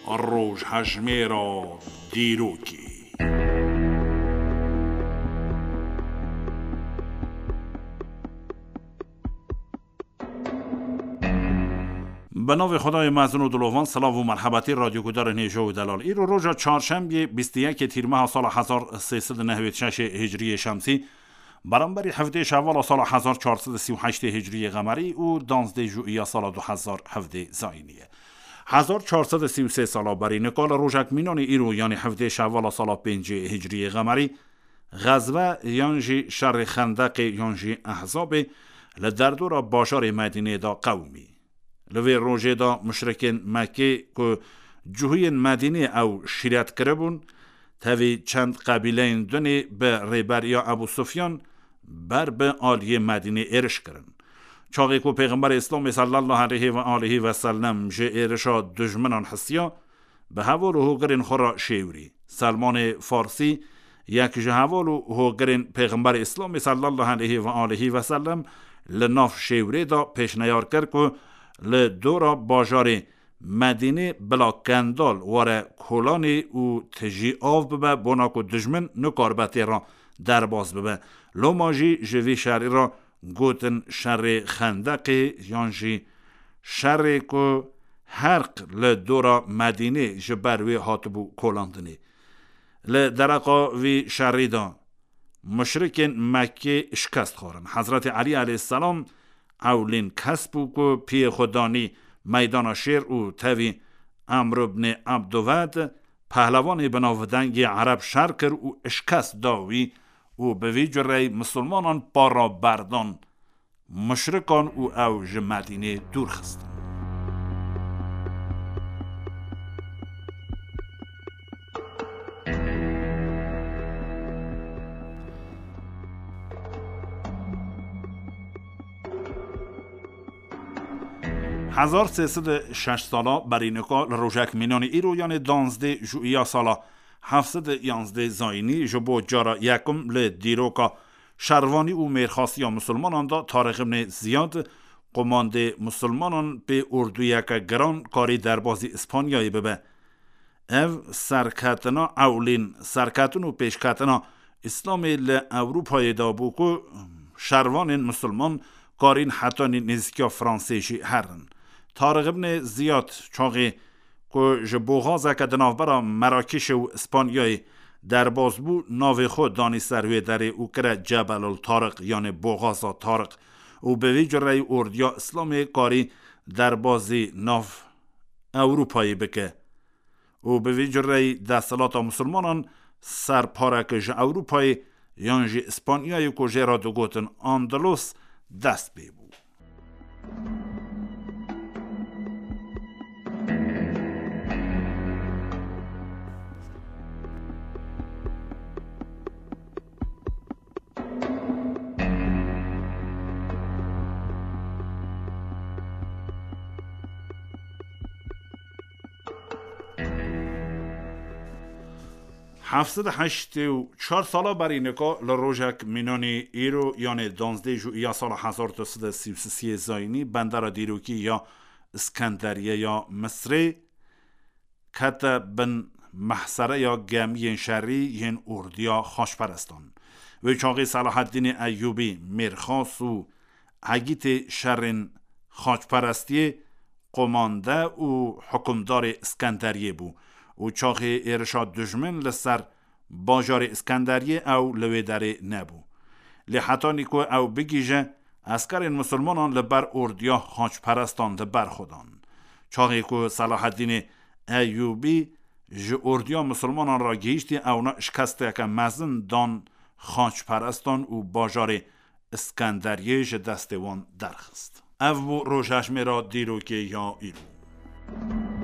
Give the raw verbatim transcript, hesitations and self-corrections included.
Rojhejmêra dîrokê. Bi navê Xwedayê mezin û dilovan, silav û merhebetî radyogudarên hêja û delal. Îro roja çarşembiyê, bîst û yekê tîrmeha sala hezar sê sed û nehwêd şeşê hicriyê şemsî, beramberî hevdê şevala sala hezar çar sed û sî û heştê hicriyê qemerî û danzdê juiya sala du hezar hevdê zayînî ye. Hezar çar sed û sî û sê sala berî nika li rojek mînanê îro, yanî hevdê şevala sala pêncê hicriyê qemerî, xezve yan jî şerê Xendeqê yan jî Ehzabê li derdora bajarê Medînê de qewimî. Li vê rojê de muşrikên Mekkê ku cihûyên Medînê ew şîret kiribûn, tevî çend qebîleyên dunê bi rêberiya Ebû Sufyan ber bi aliyê Medînê êriş kirin. Çaxê ku Pêxemberê Îslamê sallallahu aleyhi ve aleyhi ve sellem ji êrişa dijminan hisiya, bi heval û hogirên xwe re şêwirî. Selmanê Farsî, yek ji heval û hogirên Pêxemberê Îslamê sallallahu aleyhi ve aleyhi ve sellem, li nav şêwirê de pêşneyar kir ku li dora bajarê Medînê bila kendal were kolanê û tijî av bibe, bona ku dijmin nikaribe tê re derbas bibe. Loma jî ji vî şerî re gotin şerê Xendeqê yan jî şerê ku herq li dora Medînê ji ber wê hatibû kolandinê. Li dereqa vî şerî de muşrikên Mekkê şikest xwarin. Hezretê Elî aleyhisselam ewlîn kes bû ku piyê xwe danî meydana şêr û tevî Emr ibn Abduved, pehlevanê binavdengê Ereb, şer kir û şikest da wî û bi vî cureyî misilmanan para berdan muşrikan û ew ji Medînê dûr xistin. Hezar sê sed û şeş sala berî nika li rojek mînanê îro, yanê danzdê juiya sala heft sed û yanzdê zayînî, ji bo cara yekum li dîroka şervanî û mêrxasiya misilmanan de Tariq ibn Ziyad, qomandê misilmanan, pê ordûyeke giran karî derbazî Îspanyayê bibe. Ev serketina ewlîn serketin û pêşketina Îslamê li Ewropayê de bû ku şervanên misilman karîn hetanî nêzîkiya Fransê jî herin. Tariq ibn Ziyad çaxê ku ji boxazeke di navbera Merakîşê û Îspanyayê derbas bû, navê xwe danî ser wê derê û kire Cebelul Tariq, yanê Boxaza Tariq, û bi vî cureyî ordiya Îslamê karî derbazî nav Ewropayê bike. Û bi vî cureyî desthilata misilmanan ser pareke ji Ewropayê yan jî Îspanyayê ku jê re digotin Andalos dest pê bû. Heft sed û heştê û çar sala berî nika li rojek mînanî îro, yanê danzdê juiya sala hezar du sed û sî û sê zayînî, bendera dîrokî ya Îskenderiye ya Misrê kete bin mehsereya gemiyên şerî yên ordiya xaçperestan. Wê çaxê Selahaddînê Eyûbî, mêrxas û egîtê şerên xaçperestiyê, qomande û hukimdarê Îskenderiyê bû û çaxê êrişa dijmin li ser bajarê Îskenderiyê ew li wê derê nebû. Lê hetanî ku ew bigihîje, eskerên misilmanan li ber ordiya xaçperestan li ber xwe dan. Çaxê ku Selahaddînê Eyûbî ji ordiya misilmanan re gihîştî, ewna şikesteke mezin dan xaçperestan û bajarê Îskenderiyê ji destê wan derxist. Ev bû rojhejmêra dîrokê ya îro.